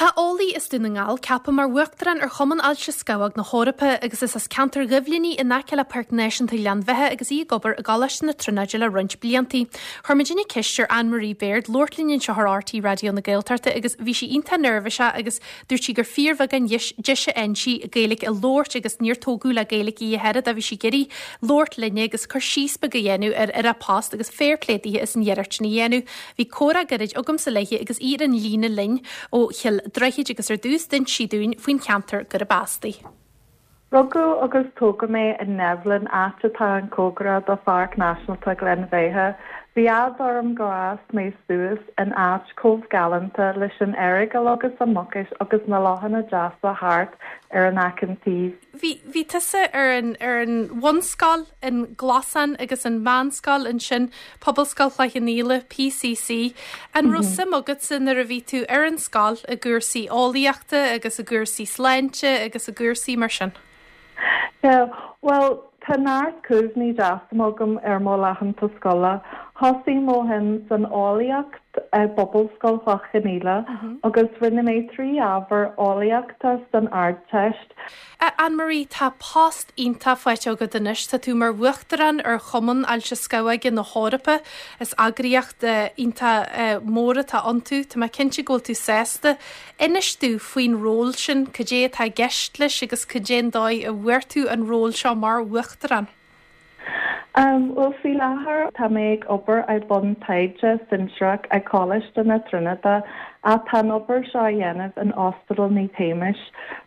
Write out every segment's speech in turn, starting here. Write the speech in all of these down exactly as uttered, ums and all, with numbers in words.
Tá eolaí as Dún na nGall ceaptha mar Uachtarán ar Chumann Ailse Scamhóg na hEorpa agus is as ceantar Dhuibhlinní in aice le Páirc Náisiúnta Ghleann Bheatha agus í ag obair i gColáiste na Tríonóide le roinnt blianta. Chuir muidinne ceist ar Anne-Marie Baird labhairt linn anseo ar RTÉ Raidió na Gaeltachta agus bhí sí iontach neirbhíseach agus dúirt sí gur fíorbheagán deis a fhaigheann sí Gaeilge a labhairt agus níor tógadh le Gaeilge í a thuilleadh bhí sí ag iarraidh labhairt linne agus cur síos beag a dhéanamh ar ar a post agus fair play dithe as an iarracht sin a dhéanamh. Bhí comhrá gairid agamsa léi agus í ar an líne linn ó Chill Droichid agus ar dtús d'inis sí dúinn faoin cheantar gurb as di. Rugadh agus tógadh mé in Neibhlin áit atá an-chóngarach do Pháirc Náisiúnta Ghleann Bheatha. Bhí ádh orm gur fhás mé suas in áit chomh galánta leis an Earagail agus an Mucais agus na lochanna deasa thart ar an achan taobh. Bhí bhí tusa ar an ar an bhunscoil in Glasán agus an mheánscoil ansin Pobalscoil Chloich Cheann Fhaola PCC. An raibh suim agatsa nuair a bhí tú ar an scoil i gcúrsaí eolaíochta agus i gcúrsaí sláinte agus i gcúrsaí mar sin. Yeah, well, tá neart cuimhní deasa agam ar mo laethanta scoile. Thosaigh mo shuim san eolaíocht i bPobalscoil Chloich Cheann Fhaola agus rinne mé trí ábhar eolaíochta san Ardteist. Anne-Marie tá post iontach faighte agat anois tá tú mar Uachtarán ar Chumann Ailse Scamhóige na hEorpa is eagraíocht iontach mór atá iontu, Tá mé cinnte go bhfuil tú sásta. Inis dúinn faoin ról sin cad é atá i gceist leis agus cad é an dóigh a bhfuair tú an ról seo mar Uachtarán. Um, well faoi láthair tá mé ag obair i bun taighde sinsearach ag Coláiste na Tríonóide atá an obair seo a dhéanamh in Ospidéal Naomh Shéamais.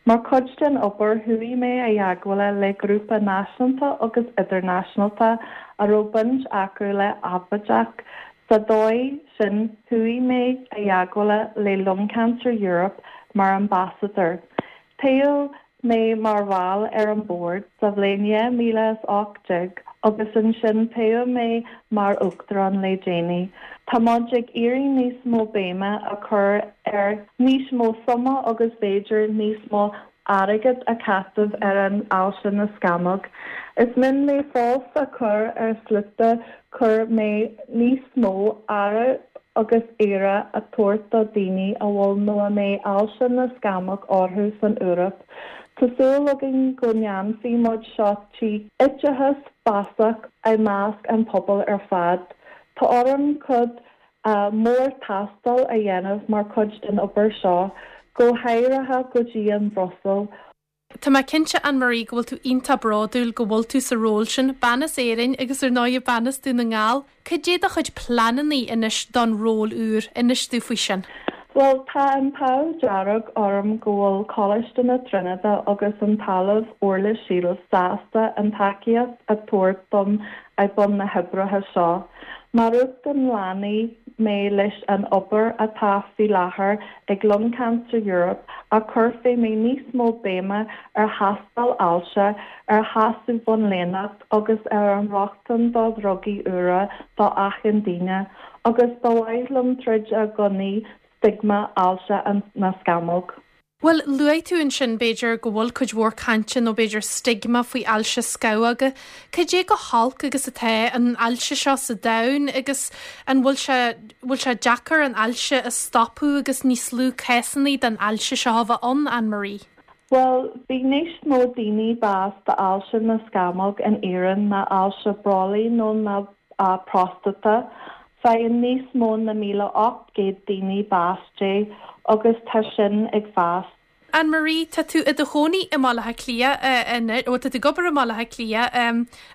Mar chuid den obair chuaigh mé i dteagmháil le grúpa náisiúnta agus idirnáisiúnta a raibh baint acu le príobháideach. Sa dóigh sin chuaigh mé i dteagmháil le Lung Cancer Europe mar ambassador. Toghadh mé mar bhall ar an bord sa bhliain dhá mhíle is ocht déag agus ansin toghadh mé mar uachtarán le déanaí. Tá muid ag iarraidh níos mó béime a chur ar níos mó suime agus b'fhéidir níos mó airgead a chaitheamh ar an ailse na scamhóg. Is mian mé fós a chur ar slite chur mé níos mó aire agus aire a tabhairt do dhaoine a bhfuil nó a mbeidh ailse na scamhóg orthu san Eoraip. Tá súil againn go ndéanfaidh muid seo trí oideachas feasach i measc an pobal ar fad. Tá orm cuid uh, mór taistil a dhéanamh mar chuid den obair seo, go háirithe go dtí an Bhruiséil. Tá mé cinnte Anne-Marie go bhfuil tú iontach bródúil go bhfuil tú sa ról sin bean as Éirinn agus ar ndóigh bean as Dún na nGall, Cad é do chuid pleananna anois don ról úr inis dúinn faoi sin. Well tá an t-ádh dearg orm go bhfuil Coláiste na Tríonóide agus an tOllamh Orla Shiels sásta an tacaíocht a thabhairt dom i bun na hoibre seo. Mar uachtarán leanfaidh mé leis an obair atá faoi láthair ag Lung Cancer Europe a chuirfidh mé níos mó béime ar thástáil ailse, ar thosú bonnlíneach agus ar an rochtain do dhrugaí úra do achan duine, agus ba mhaith liom troid i gcoinne stigma ailse na scamhóg. Well luaigh tú ansin b'fhéidir go bhfuil cuid mhór cainte nó b'fhéidir stigma faoi ailse scamhóga. Cad é chomh holc agus atá an ailse seo sa domhan agus an bhfuil sé bhfuil sé deacair an ailse a stopadh agus níos lú cásanna den ailse seo a bheith ann Anne-Marie. Well, bhí níos mó daoine bás d'ailse na scamhóg in Éirinn ná ailse brollaigh nó na uh, próstata. Faigheann níos mó na míle ocht gcéad daoine bás de agus tá sin ag fás. Anne-Marie tá tú i do chónaí i mBaile Átha Cliath ó tá tú ag obair i mBaile Átha Cliath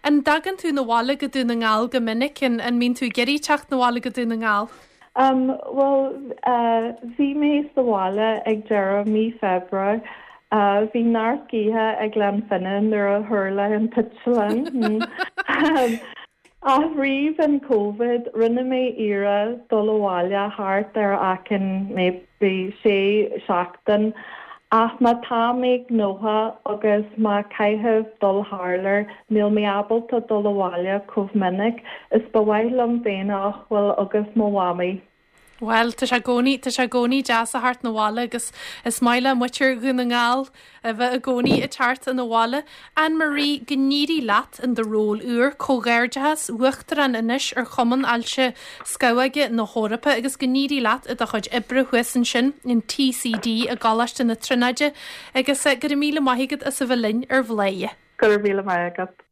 an dtagann tú abhaile go Dún na nGall go minic an an mbíonn tú ag iarraidh teacht abhaile go Dún na nGall. Um, well uh, bhí mé sa bhaile ag deireadh mí Feabhra. Uh, bhí neart gaoithe ag Gleann Finne nuair a tharla an t-eitleán. um, Ach roimh an COVID rinne mé iarracht dul abhaile thart ar achan maybe sé seachtain ach má tá mé gnóthach agus má caithfidh dul thar lear níl mé ábalta dul abhaile chomh minic is ba mhaith liom bheith bhfuil agus mo mhamaí. Well tá sé gcóí tá sé gcóí deas a theacht 'na bhaile agus is maith le muintir Dhún na nGall a bheith i gcónaí ag teacht 'na bhaile. Anne-Marie go n-éirí leat in do ról úr comhghairdeachas uachtarán anois ar Chumann Ailse Scamhóige na hEorpa agus go n-éirí leat i do chuid oibre thuas ansin in TCD i gColáiste na Tríonóide agus eh, go raibh míle maith agat as a bheith linn ar Bhladhaire. Go raibh míle maith agat.